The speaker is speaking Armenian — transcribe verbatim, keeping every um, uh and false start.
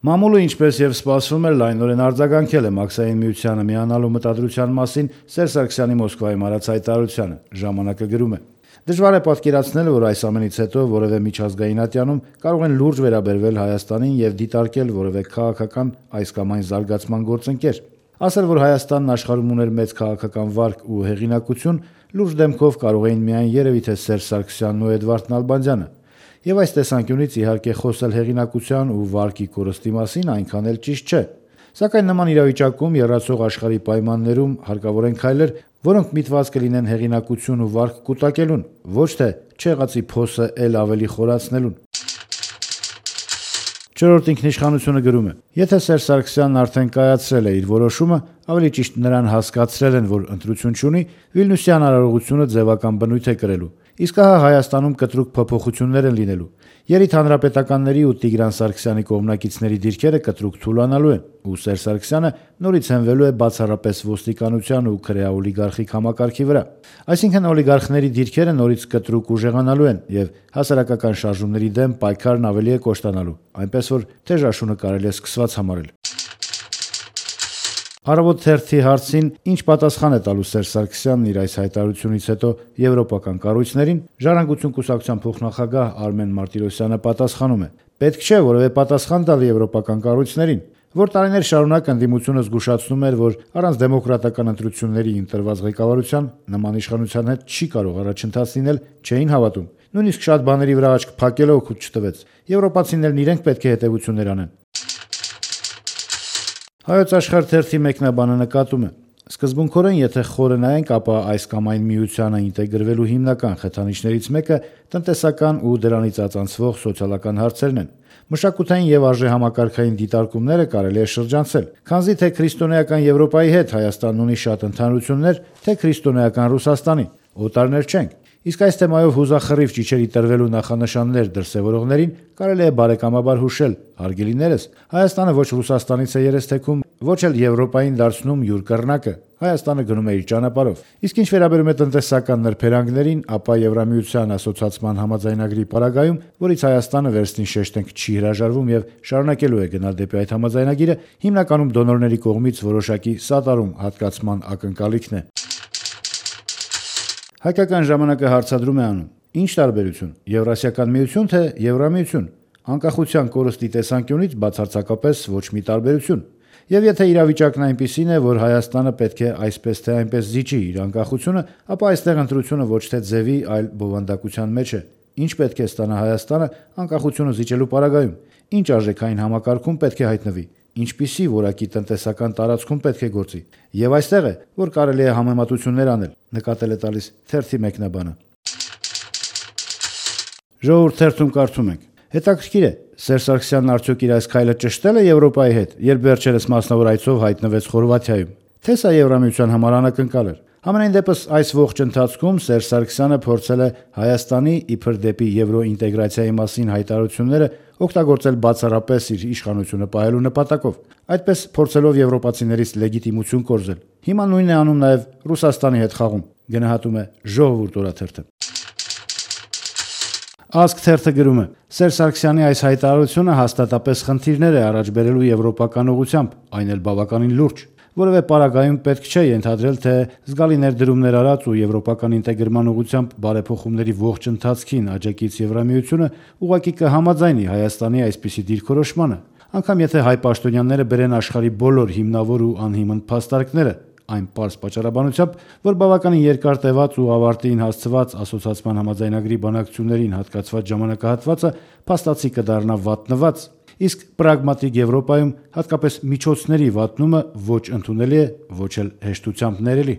Մամուլը, ինչպես եւ սպասվում էր, լայնորեն արձագանքել է Մաքսային միությանը միանալու մտադրության մասին Սերժ Սարգսյանի Մոսկվայում արած հայտարարությանը, ժամանակը գրում է. Դժվար է պատկերացնել, որ այս ամենից հետո որևէ միջազգային ատյանում կարող են լուրջ վերաբերվել Հայաստանին եւ դիտարկել որևէ քաղաքական այս կամ այն զարգացման գործընկեր։ Ասել, որ Հայաստանն աշխարհում ուներ մեծ քաղաքական վարկ ու հեղինակություն, լուրջ դեմքով կարող էին միայն երևի թե Սերժ Սարգսյանն ու Էդվարդ Նալբանդյանը։ Եվ այս տեսանկյունից իհարկե խոսել հեղինակության ու վարկի կորստի մասին այնքան էլ ճիշտ չէ։ Սակայն նման իրավիճակում եռացող աշխարհի պայմաններում հարկավոր են քայլեր, որոնք միտված կլինեն հեղինակություն ու վարկ կուտակելուն, ոչ թե չեղածի փոսը էլ ավելի խորացնելուն։ Չորրորդ ինքնիշխանությունը գրում է. Եթե Սերժ Սարգսյանն արդեն կայացրել է իր որոշումը, ավելի ճիշտ նրան հասկացրել են, որ ընտրություն չունի, Վիլնյուսյան արարողությունը ձևական բնույթ է կրելու։ Իսկ ահա Հայաստանում կտրուկ փոփոխություններ են լինելու։ Երիթ հանրապետականների ու Տիգրան Սարգսյանի կողմնակիցների դիրքերը կտրուկ թուլանալու են, ու Սերժ Սարգսյանը նորից հենվելու է բացառապես ոստիկանության ու քրեաօլիգարխիկ համակարգի վրա։ Այսինքն օլիգարխների դիրքերը նորից կտրուկ ուժեղանալու են եւ հասարակական շարժումների դեմ պայքարն ավելի է կոշտանալու, այնպես որ թեժաշունը կարելի է սկսված համարել։ Առավոտ թերթի հարցին, ինչ պատասխան է տալու Սերժ Սարգսյանն իր այս հայտարարությունից հետո եվրոպական կառույցներին, Ժառանգություն կուսակցության փոխնախագահ Արմեն Մարտիրոսյանը պատասխանում է. Պետք չէ որևէ պատասխան տալ եվրոպական կառույցներին, որ տարիներ շարունակ ընդդիմությունը զգուշացնում էր, որ առանց դեմոկրատական ընտրությունների ընտրված ղեկավարության նման իշխանության հետ չի կարող առաջընթաց լինել, չէին հավատում։ Նույնիսկ շատ բաների վրա աչք փակելը օգուտ չտվեց։ Եվրոպացիներն իրենք պետք է հետևություններ անեն։ Հայոց Աշխարհ թերթի մեկնաբանը նկատում է. Սկզբունքորեն, եթե խորը նայենք, ապա այս կամ այն միությանը ինտեգրվելու հիմնական խթանիչներից մեկը տնտեսական ու դրանից ածանցվող սոցիալական հարցերն են։ Մշակութային եւ արժեհամակարգային դիտարկումները կարելի է շրջանցել, քանզի թե քրիստոնեական Եվրոպայի հետ Հայաստանն ունի շատ ընդհանրություններ, թե քրիստոնեական Ռուսաստանի, օտարներ չենք։ Իսկ այս թեմայով հուզախռիվ ճիչերի տրվելու նախանշաններ դրսևորողներին կարելի է բարեկամաբար հուշել, հարգելիներս, Հայաստանը ոչ Ռուսաստանից է երես թեքում, ոչ էլ Եվրոպային դարձնում յուր կռնակը, Հայաստանը գնում է իր ճանապարհով։ Իսկ ինչ վերաբերում է տնտեսական նրբերանգներին, ապա Եվրամիության ասոցիացման համաձայնագրի պարագայում, որից Հայաստանը վերստին շեշտենք չի հրաժարվում եւ շարունակելու է գնալ դեպի այդ համաձայնագիրը, հիմնականում դոնորների կողմից որոշակի սատարում հատկացման ակնկալիքն է։ Հայկական ժամանակը հարցադրում է անում. Ինչ տարբերություն, Եվրասիական միություն թե Եվրամիություն։ Անկախության կորստի տեսանկյունից բացարձակապես ոչ մի տարբերություն։ Եվ եթե իրավիճակն այնպիսին է, որ Հայաստանը պետք է այսպես թե այնպես զիջի իր անկախությունը, ապա այստեղ ընտրությունը ոչ թե ձևի, այլ բովանդակության մեջ է։ Ինչ պետք է ստանա Հայաստանը անկախությունը զիջելու պարագայում։ Ինչ արժեքային համակարգում պետք է հայտնվի։ Ինչպիսի որակի տնտեսական տարածքում պետք է գործի։ Եվ այստեղ է, որ կարելի է համեմատություններ անել, նկատել է տալիս թերթի մեկնաբանը։ Ժողովուրդ թերթում կարդում ենք. Հետաքրքիր է, Սերժ Սարգսյանն արդյոք իր այս քայլը ճշտել է Եվրոպայի հետ, երբ վերջերս մասնավոր այցով հայտնվեց Խորվաթիայում, թե սա Եվրամիության համար անակնկալ էր։ Համենայն դեպս այս ողջ ընթացքում Սերժ Սարգսյանը փորձել է Հայաստանի իբր դեպի եվրոինտեգրացիայի մասին հայտարարությունները օգտագործել բացառապես իր իշխանությունը պահելու նպատակով, այդպես փորձելով եվրոպացիներից լեգիտիմություն կորզել։ Հիմա նույնն է անում նաև Ռուսաստանի հետ խաղում, գնահատում է Ժողովուրդ օրաթերթը։ Ազգ թերթը գրում է. Սերժ Սարգսյանի այս հայտարարությունը հաստատապես խնդիրներ է առաջ բերելու եվրոպական ուղղությամբ, այն էլ բավականին լուրջ։ Որևէ պարագայում պետք չէ ենթադրել, թե զգալի ներդրումներ արած ու եվրոպական ինտեգրման ուղղությամբ բարեփոխումների ողջ ընթացքին աջակից Եվրամիությունը ուղղակի կհամաձայնի Հայաստանի այսպիսի դիրքորոշմանը, անգամ եթե հայ պաշտոնյաները բերեն աշխարհի բոլոր հիմնավոր ու անհիմն փաստարկները, այն պարզ պատճառաբանությամբ, որ բավականին երկար տևած ու ավարտին հասցված ասոցիացման համաձայնագրի բանակցություններին հատկացված ժամանակահատվածը փաստացի կդառնա վատնված, իսկ պրագմատիկ Եվրոպայում հատկապես միջոցների վատնումը ոչ ընդունելի է, ոչ էլ հեշտությամբ ներելի։